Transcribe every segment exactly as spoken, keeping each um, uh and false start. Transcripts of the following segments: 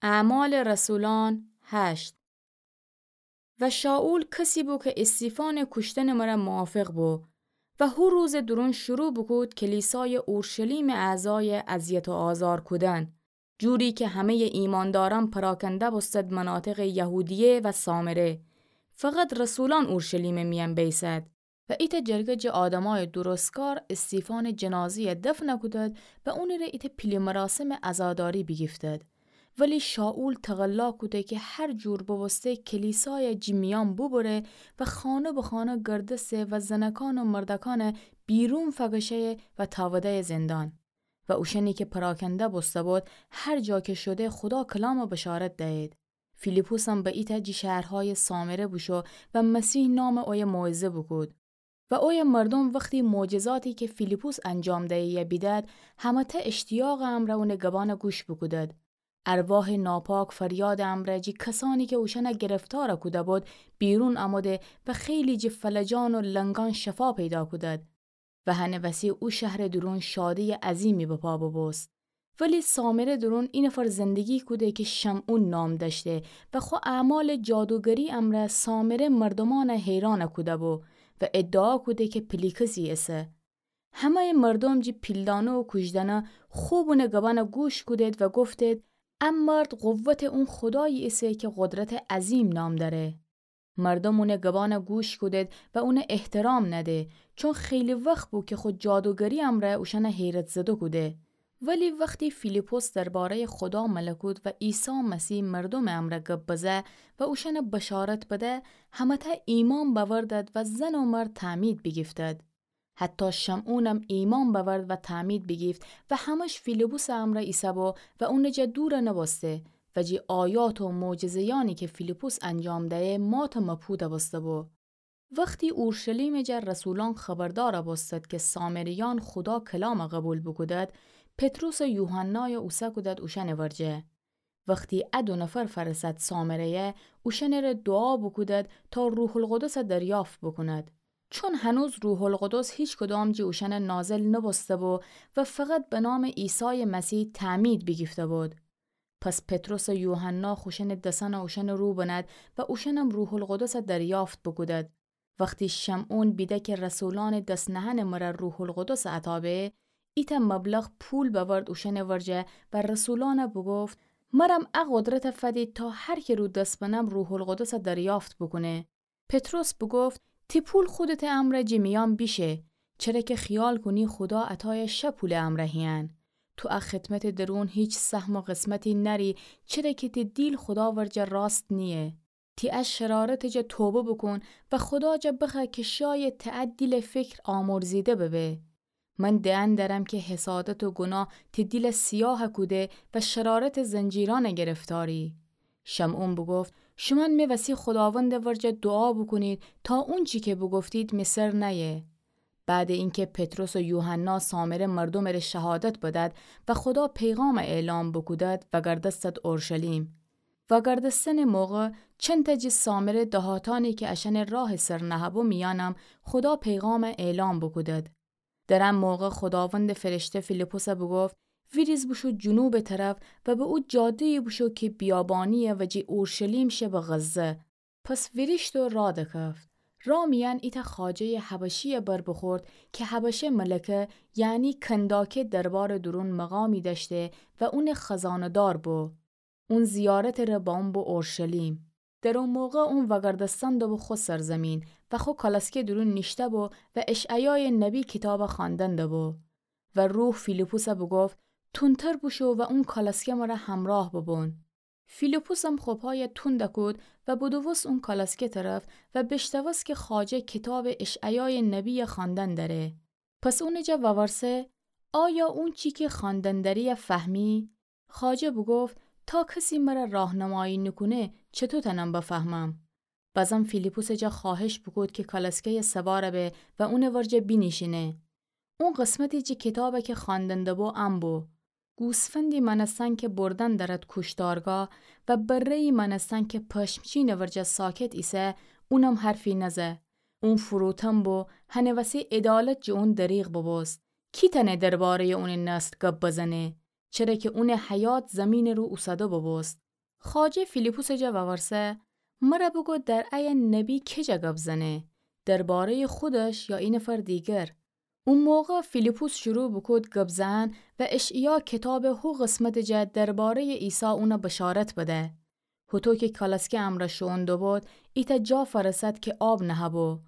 اعمال رسولان هشت. و شائول کسی بو که استیفانٚ کوشتنٚ مره موافق بو و هو روزٚ دورون شروع بوکود کلیسایٚ اورشلیمٚ اعضای اذیت و آزار کودن، جوری که همه‌یٚ ایماندارأن پراکنده بوستد مناطقٚ یهودیه و سامره، فقط رسولأن اورشلیمٚ میأن بیسد. و ایتأ جرگه جٚه آدمایٚ درستکار استیفانٚ جنازه‌یه دفن کودد و اونٚره ایتأ پیله مراسمٚ عزاداری بیگیفتد. ولی شائول تقلا کوده که هر جور ببوسته کلیسایٚ جٚه میأن بوبره و خانه به خانه گردسه و زنکان و مردکأنه بیرون فکشه‌یه و تاوده‌یه زندان. و اوشأنی که پراکنده بوسته بود، هر جا که شده خودا کلامٚ بشارت دأیید. فیلیپسم به ایتأ جٚه شهرهایٚ سامره بوشو و مسیح نامٚ اویه موعظه بوکود. و اویه مردوم وختی معجزاتی که فیلیپس انجام دهه‌یه بیدد، همه‌تأ اشتیاقٚ امرأ اونٚ گبأنه گوش بوکودد. ارواحٚ ناپاک فریادٚ امرأ جٚه کسأنی که اوشأنه گرفتار کوده بود، بیرون اموده و خیلی جٚه فلجان و لنگأن شفا پیدا کودد. و هنٚ وسی او شهرٚ دورون شادییٚ عظیمی به پا ببوست. ولی سامره دورون اینفر زندگی کوده که شمعون نام دأشته و خو اعمالٚ جادوگری امرأ سامره مردومأنه حیران کوده بو و ادعا کوده که پیله کسی ایسه. همه‌یٚ مردوم جٚه پیلدأنه و کوژدأنه خوب اونٚ گبأنه گوش کودید و گفتید: ا مرد قوتٚ اون خودایی ایسه که قدرتٚ عظیم نام دأره. مردوم اونٚ گبأنه گوش کودید و اونه احترام نده، چون خیلی وخت بو که خو جادوگری امرأ اوشأنه حیرت‌زده کوده. ولی وختی فیلیپس درباره‌یٚ خودا ملکوت و عیسی مسیح مردومٚ امرأ گب بزه و اوشأنه بشارت بده، همه‌تأ ایمأن بأوردد و زن و مرد تعمید بیگیفتد. حتی شمعونم ایمأن بأورد و تعمید بیگیفت و همه‌ش فیلیپسٚ امرأ ایسه‌بو و اونٚ جا دور نوبوسته و جٚه آیات و معجزه‌یأنی که فیلیپس انجام دهه مات و مبهوت بوسته‌بو. وختی اورشلیمٚ جا رسولأن خبردار بوستد که سامریأن خودا کلام قوبیل بوکودد، پطرس و یوحنای اوسه کودد اوشأنٚ ورجه. وختی ا دو نفر فأرسد سامره‌یه، اوشأنٚره دوعا بوکودد تا روح‌القدس دریافت بوکوند. چون هنوز روح‌القدس هیچکدام جٚه اوشأن نازل نوبوسته‌بو و فقط به نامٚ عیسایٚ مسیح تعمید بیگیفته‌بود. پس پطرس و یوحنا خوشأنٚ دسأن اوشأنٚ رو بنهد و اوشأنم روح‌القدس دریافت بوکودد. وختی شمعون بیده که رسولأنٚ دس نهنٚ مره روح‌القدس عطا به، ایتأ مبلغ پول بأورد اوشأنٚ ورجه و رسولأنه بوگفت: مرم ا قدرت فدید تا هر که رو دس بنم روح‌القدس دریافت بوکونه. پطرس بوگفت: تی پول خودتٚ امرأ جٚه میأن بیشه، چره که خیال کونی خودا عطایٚ شه پولٚ امرأ هیأن. تو ا خدمتٚ درون هیچ سهم و قسمتی نأری، چره که تی دیل خودا ورجه راست نییه. تی ا شرارتٚ جا توبه بوکون و خودا جا بخوأ که شاید تی ا دیلٚ فکر آمرزیده ببه. من دئن دأرم که حسادت و گناه تی دیل سیاه کوده و شرارتٚ زنجیرأن گرفتاری. شمعون بوگفت: شومأن می وسی خوداوندٚ ورجه دوعا بوکونید تا اونچی که بوگفتید می سر نأیه. بعدٚ اینکه پطرس و یوحنا سامره مردومٚ ره شهادت بدد و خودا پیغام اعلام بوکودد، وأگردستد اورشلیم. وأگردستنٚ موقع چندتأ جٚه سامره دهاتأنی که اشأنٚ راهٚ سر نهه‌بو میأنم خودا پیغام اعلام بوکودد. در ا موقع خوداوندٚ فرشته فیلیپسه بوگفت: ویریز بوشو جنوبٚ طرف و به او جاده‌یی بوشو که بیابانییه و جٚه اورشلیم شه به غزه. پس ویریشت و راه دکفت. راه میأن ایتأ خواجه‌یٚ حبشیی بر بوخورد که حبشه ملکه، یعنی کنداکه، دربارٚ دورون مقامی دأشته و اونٚ خزانه‌دار بو. اون زیارتٚ ره بامو بو اورشلیم. در او موقع اون وأگردستن دوبو خو سرزمین و خو کالسکه دورون نیشته‌بو و اشعیایٚ نبی کیتاب خواندن دوبو. و روح فیلیپسه بوگفت: تندتر بوشو و اون کالسکه مره همراه ببون. فیلیپسم خو پای تند کود و بدوست اون کالسکه طرف و بیشنوست که خواجه کیتابٚ اشعیایٚ نبی خواندن دأره. پس اونٚ جا وورسه: آیا اونچی که خواندن دأری فهمی؟ خواجه بوگفت: تا کسی مره راهنمایی نوکونه، چطو تأنم بفهمم؟ بازم فیلیپسٚ جا خواهش بوکود که کالسکه‌یٚ سوار به و اونٚ ورجه بینیشینه. اون قسمتی جٚه کیتاب که خواندن دوبو ان بو: گوسفندی مأنستن که بردن دأرد کوشتارگاه و بره‌یی مأنستن که پشمچینٚ ورجه ساکت ایسه، اونم حرفی نزه. اون فروتن بو، هنٚ وسی عدالت جٚه اون دریغ ببوست. کی تأنه درباره‌یٚ اونٚ نسل گب بزنه؟ چره که اونٚ حیات زیمینٚ رو اوسده ببوست. خواجه فیلیپوسٚ جا وورسه: مره بوگو در ایه نبی کی جا گب زنه؟ دربارهٔ خودش یا اینفر دیگر؟ او موقع فیلیپوس شروع بوکود گب زئن و اشعیا کیتابٚ هو قسمتٚ جا دربارهٔ عیسی اونه بشارت بده. هوطو کی کالسکه امرأ شوئون دوبود، ایتأ جا فأرسد کی آب نهه‌بو.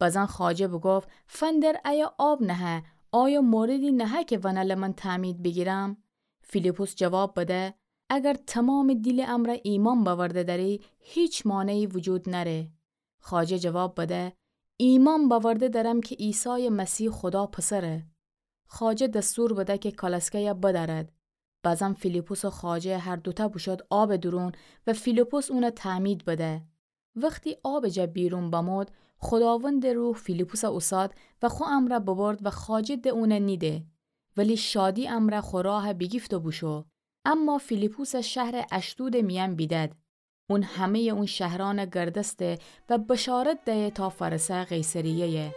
بزن خواجه بوگفت: فندر ایه آب نهه، آیا موردی نهه کی ونله من تعمید بیگیرم؟ فیلیپوس جواب بده: اگر تمامٚ دیلٚ امرأ ایمأن بأورده دأری، هیچ مانعی وجود نأره. خواجه جواب بده: ایمأن بأورده دأرم کی عیسایٚ مسیح خودا پسره. خواجه دستور بده کی کالسکه‌یه بدأرد. بزن فیلیپوس و خواجه هر دوتأ بوشود آبٚ دورون و فیلیپوس اونه تعمید بده. وختی آبٚ جا بیرون بمود، خوداوندٚ روح فیلیپوسَ اوساد و خو امرأ ببرد و خواجه ده اونه نیده. ولی شادی امرأ خو راه بیگیفت و بوشو. اما فیلیپوسَ شهرٚ اشدودٚ میأن بیدد. اون همه‌یٚ اون شهرأنَ گردسته و بشارت دیه تا فأرسه قیصریه‌یه.